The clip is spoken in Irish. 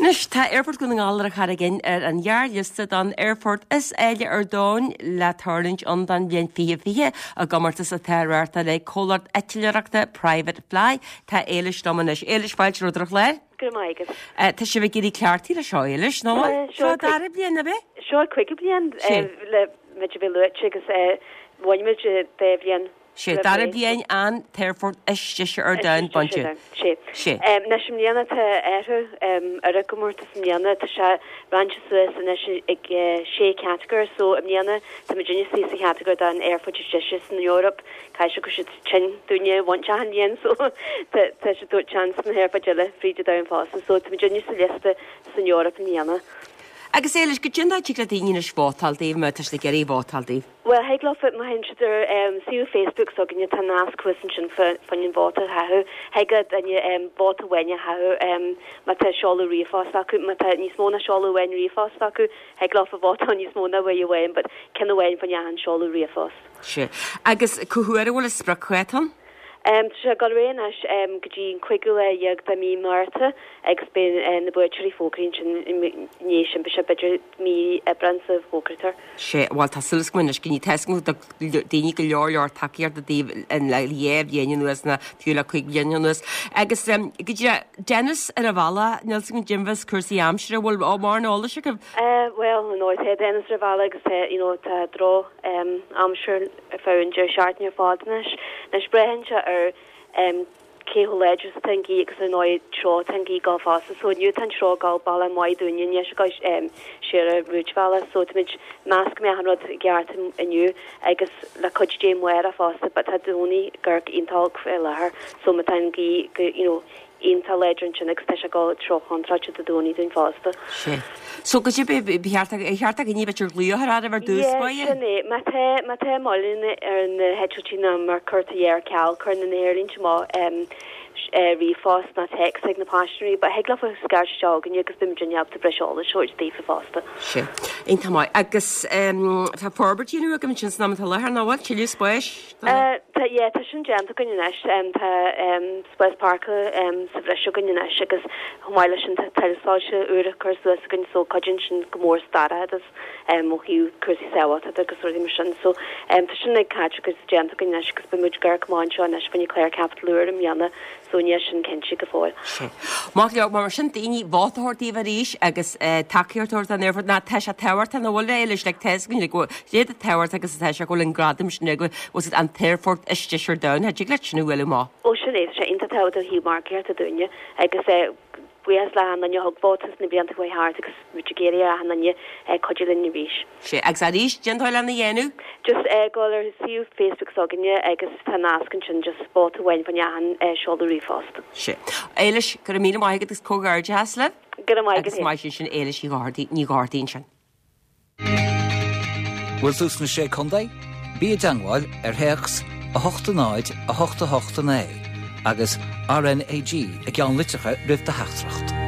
Anois, tá Aerfort Dhún na nGall ar an Charraig Fhinn ar an ghearrliosta don aerfort is áille ar domhan le tarlúint ann don bhliain 2020 i gcomórtas atá á reáchtáil ag comhlacht eitleoireachta Private Fly. Tá Éilis liom anois. Éilis, fáilte romhat ar an chlár. Go raibh maith agat. Tá sibh ag éirí cleachtaithe leis seo, Éilis, nó bhfuil? Seo an dara bliain, ab é? Seo an cúigiú bliain le muid a bheith luaite agus bhain muid dá bhliain. Sé, dara bliain an t-aerfort is deise ar domhan bainte. Sé. Sé. Anois i mbliana tá athrú ar an gcomórtas i mbliana, tá sé roinnte suas anois ag sé chatagóir so i mbliana tá muid istigh sa chatagóir don aerfort is deise san Eoraip, caithfidh sé go bhfuil siad tinn dúinne a bhaint achan bhliain so tá tá siad ag tabhairt seans na haerfoirt eile fríd an domhan fosta so tá muid istigh sa liosta san Eoraip i mbliana. Agus Éilis, goidé an dóigh a dtig le daoine anois vótáil daoibh má tá siad ag iarraidh vótáil daoibh? Bhuel, thig leofa, má théann siad ar suíomh Facebook s'againne, tá nasc thuas ansin fá choinne an vóta a chaitheamh. Thig le duine vóta amháin a chaitheamh má tá seoladh ríomhphost acu. Má tá níos mó ná seoladh amháin ríomhphost acu, thig leofa vótáil níos mó ná uair amháin, but ceann amháin fá choinne achan seoladh ríomhphost. Sea. Agus cá huair a bhfuil an spriocdháta ann? Tá sé ag dul ar aghaidh anois go dtí an cúigiú lá dhéag de mí Márta agus beidh na buaiteoirí fógraithe ansin i ndiaidh sin, beidh sé b'fhéidir mí Aibreán sula bhfógraítear. Sea, bhuel tá súil agam anois go ní tá a fhios agam go dtug daoine go leor leor tacaíochta daoibh le dhá bhliain anuas nó fiú le cúig bliana anuas. Agus go dtí Dennis ar a bhealach, níl a fhios agam goidé fá cúrsaí aimsire, bhfuil mórán eolais agaibh? Bhuel, you know, tá Dennis ar a bhealach agus tá, you know, tá droch aimsir ar feadh an deireadh seachtaine ar fad anois. Anois braitheann sé ar cé chomh láidir is atá an ghaoth agus ar ndóigh treo atá an ghaoth ag dul fosta. So inniu tá an treo ag dul bealach maith dúinne, níl sé ag dul siar an rúidbhealach. So táimid ag meas go mbeadh an rud i gceart inniu agus le cuidiú Dé amárach fosta but tá Domhnach ag amharc iontach olc faoi láthair. So má tá an ghaoth go, you know, iontach láidir ansin agus tá sé ag dul treo chontráilte Dé Domhnaigh dúinn fosta. Sea. So goidé ba cheart ar cheart do dhaoine b'fhéidir glaoch ar oraibh ar dtús Yeah, báire? sin é. Má tá, má tá moilleanna ar na heitiltí nó má cuirtear ar ceal, cuireann na haerlínte amach ríomhphost nó téacs ag na paisinéirí, but thig leofa scairt isteach chugainne agus beidh muid ábalta breis eolais a thabhairt daofa fosta. Sea. Iontach maith. Agus tá forbairtí nua agaibh ansin san am atá i láthair, nach bhfuil? Tuilleadh spáis? Tá, yeah, tá sin déanta againn anois. Tá spás páirceála sa bhreis againn anois agus chomh maith leis sin tá tuilleadh soilse úra curtha suas againn so cuidíonn sin go mór sa dorchadas ó thaobh cúrsaí sábháilteachta agus rudaí mar sin. So tá sin ag caite agus déanta againn anois agus beidh muid ag amharc amach anseo anois fá choinne clár caipitil úr i mbliana So níl sin cinnte go fóill. Sea. Maith go leor, mar sin daoine vóta a thabhairt daoibh arís agus tacaíocht a thabhairt don aerfort. Ná tá sé tábhachtach nach bhfuil a Éilis, like tá a fhios againn like go bhfuil sé tábhachtach agus atá sé go bhfuil an gradam sin agaibh, bhfuil an t-aerfort is deise ar domhan, thig leat sin a bhualadh amach. Ó sin é, tá sé iontach tábhachtach ó thaobh margaíochta dúinne agus buíochas le achan duine a thug vóta sna blianta a chuaigh thart agus muid ag iarraidh ar achan duine cuidiú linn arís. Sea, agus arís, cén dóigh lena dhéanamh? Just dul ar suíomh Facebook s'againne agus tá nasc ansin, just vóta amháin fá choinne achan seoladh ríomhphost. Sea. Éilis, go raibh míle maith agat agus comhghairdeachas libh. Go raibh maith agat Agus maith sin sin Éilis Ní Dhochartaigh, Ní Dhochartaigh ansin. Bhfuil tú sna Sé Contae? Bí i dteangmháil ar théacs 8 0 8 8 9 agus RnaG i gceannlitreacha roimh do theachtaireacht.